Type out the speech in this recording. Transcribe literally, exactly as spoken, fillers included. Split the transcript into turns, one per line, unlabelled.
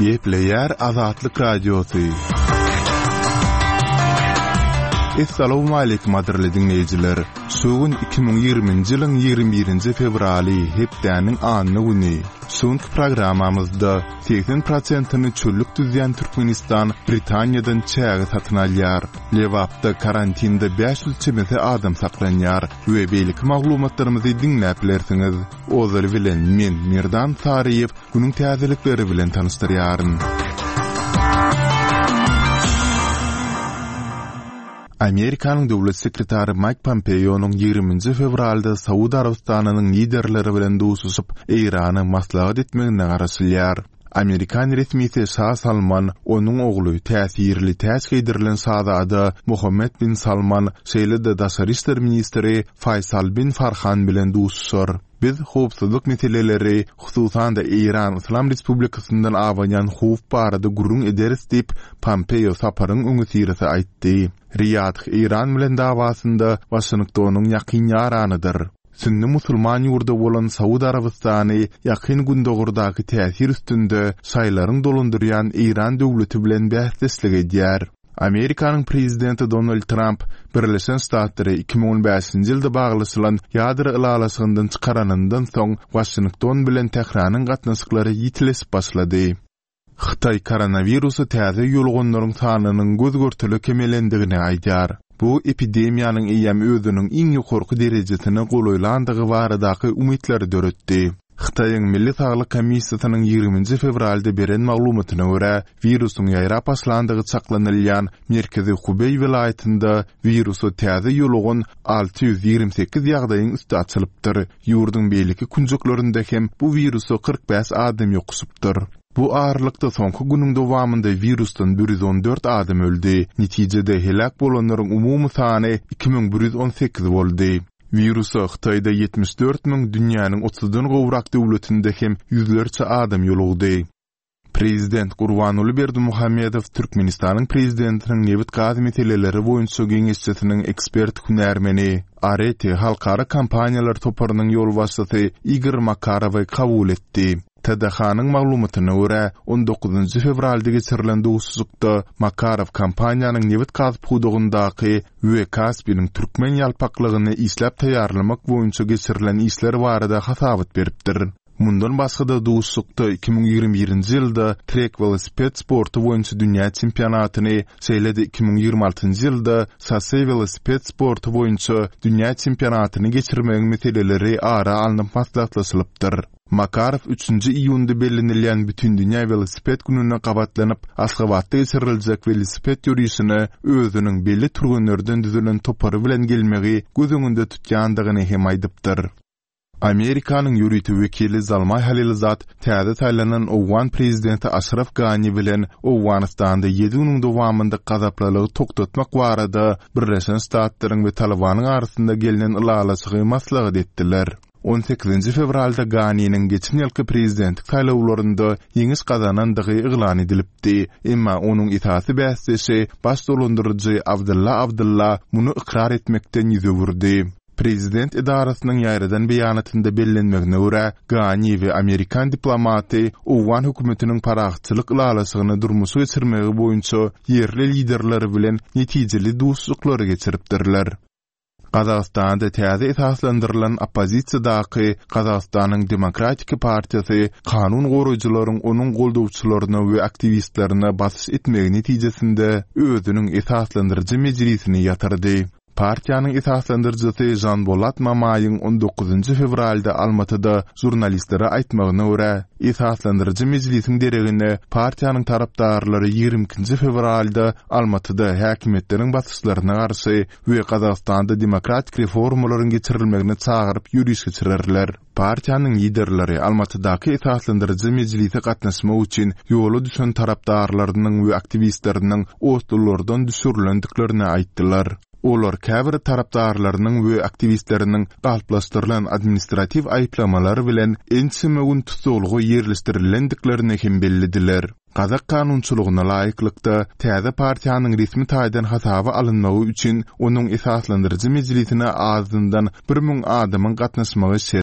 Gepleýär Azatlyk Radiosy. Essalawmaleýkim gadyrly diňleýjiler! Şu gün iki müň ýigriminji ýylyň ýigrimi birinji fewraly, hepdäniň anna güni. Şu günki programmamyzda segsen prosentini çöllük düzýän Türkmenistan Britaniýadan çäge satyn alýar. Lebapda karantinde bäş ýüz çemesi adam saklanýar we beýleki maglumatlarymyzy diňläp bilersiňiz. Ozaly bilen men, Merdan Saryýew, günüň täzelikleri bilen tanyşdyrýaryn. Amerikanyň döwlet sekretary Maýk Pompeonyň ýigriminji fewralda Saud Arabystanynyň liderleri bilen duşuşyp, Eýrana maslahat etmegine garaşylýar. Amerikan resmisi Şa Salman, onuň ogly, täsirli täç geýdirilen şazada Mohammed bin Salman, şeýle-de daşary işler ministri Faýsal bin Farhan bilen duşuşar. Biz howpsuzlyk meseleleri, hususan-da Eýran Yslam Respublikasyndan abanýan howp barada gürrüň ederis diýip, Pompeo saparyň öňüsyrasy aýtdy. Riýadh Eýran bilen dawasynda Waşingtonyň ýakyn ýaranydyr. Sünni musulman ýurdy bolan Saud Arabystany Ýakyn Gündogardaky täsir üstünde şaýylaryň dolandyrýan Eýran döwleti bilen bäsdeşlik edýär. Amerikanyň prezidenti Donald Tramp Birleşen Ştatlary iki müň on bäşinji ýylda baglaşylan ýadro ylalaşygyndan çykaranyndan soň Waşington bilen Tähranyň gatnaşyklary ýitileşip başlady. Hytaý koronawirusa täze ýoluganlaryň sanynyň göz-görtele kemelendigini aýdýar. Bu epidemiýanyň eýýäm özüniň iň ýokarky derejesine golaýlandygy baradaky umytlary döretdi. Hytaýyň Milli saglyk komissiýasynyň ýigriminji fewralda beren maglumatyna görä, wirusyň ýaýrap başlandygy çaklanylýan merkezi Hubeý welaýatynda wirusa täze ýolugan alty ýüz ýigrimi sekiz ýagdaýyň üsti açylypdyr. Ýurduň beýleki künjeklerinde hem bu wirusa kyrk bäş adam ýokuşypdyr. Bu aralykda soňky günüň dowamynda wirusdan bir ýüz on dört adam öldi. Netijede heläk bolanlaryň umumy sany iki müň bir ýüz on sekiz boldy. Wirusa Hytaýda ýetmiş dört müň, dünýäniň otuzdan gowrak döwletinde hem ýüzlerçe adam ýolugdy. Prezident Gurbanguly Berdimuhamedow Türkmenistanyň Prezidentiniň nebit-gaz meseleleri boýunça geňeşçisiniň ekspert hünärmeni, Areti halkara kompaniýalar toparynyň ýolbaşçysy Igor Makarowy kabul etdi. T D H-nyň maglumatyna görä, on dokuzynjy fewralda geçirilen duşuşykda Makarow kompaniýanyň nebit-gaz pudagyndaky we Kaspiniň türkmen ýalpaklygyny işläp taýýarlamak boýunça geçirilen işler barada hasabat beripdir. Mundan başga-da duşuşykda iki müň ýigrimi birinji ýylda trek welosiped sporty boýunça dünýä çempionatyny, şeýle-de iki müň ýigrimi altynjy ýylda şosse welosiped sporty boýunça dünýä çempionatyny geçirmegiň meseleleri ara alnyp maslahatlaşylypdyr. Makarow üçünji iýunda bellenilýän Bütindünýä welosiped gününe gabatlanyp, Aşgabatda geçiriljek welosiped ýörişine özüniň belli türgenlerden düzülen topary bilen gelmegi göz öňünde tutýandygyny hem aýdypdyr. Amerikanyň ýörite wekili Zalmaý Halilzad täze saýlanan owgan prezidenti Aşraf Gani bilen Owganystanda ýedi günüň dowamynda gazaplylygy togtatmak barada Birleşen Ştatlaryň we Talybanyň arasynda gelnen ylalaşygy maslahat etdiler. On sekizinji fewralda Ganiniň geçen ýylky prezidentlik saýlawlarynda ýeňiş gazanandygy yglan edilipdi. Emma onuň esasy bäsdeşi, baş dolandyryjy Abdylla Abdylla muny ykrar etmekden ýüz öwürdi. Prezident edarasynyň ýaýradan beýanatynda bellenmegine görä, Gani we amerikan diplomaty owgan hökümetiniň parahatçylyk ylalaşygyny durmuşa geçirmegi boýunça ýerli liderler bilen netijeli duşuşyklary geçiripdirler. Gazagystanda täze esaslandyrylan oppozisiýadaky Gazagystanyň Demokratik partiýasy kanun goraýjylaryň onuň goldawçylaryna we aktiwistlerine basyş etmegi netijesinde özüniň esaslandyryjy mejlisini ýatyrdy. Partiýanyň esaslandyryjysy Žanbolat Mamaýyň on dokuzynjy fewralda Almatyda žurnalistlere aýtmagyna görä, esaslandyryjy mejlisiň deregine partiýanyň tarapdarlary ýigrimi ikinji fewralda Almatyda häkimiýetleriň basyşlaryna garşy we Gazagystanda demokratik reformalaryň geçirilmegine çagyryp ýöriş geçirerler. Partiýanyň liderleri Almatydaky esaslandyryjy mejlise gatnaşmak üçin ýola düşen tarapdarlarynyň we aktiwistleriniň otlulardan düşürilendiklerini aýtdylar. Olar käbir tarapdarlarynyň we aktiwistleriniň galplaşdyrylan administratiw aýyplamalar bilen ençeme gün tussaglyga ýerleşdirilendiklerini hem bellediler. Gazak kanunçylygyna laýyklykda täze partiýanyň resmi taýdan hasaba alynmagy üçin onuň esaslandyryjy mejlisine azyndan bir müň adamyň gatnaşmagy şert.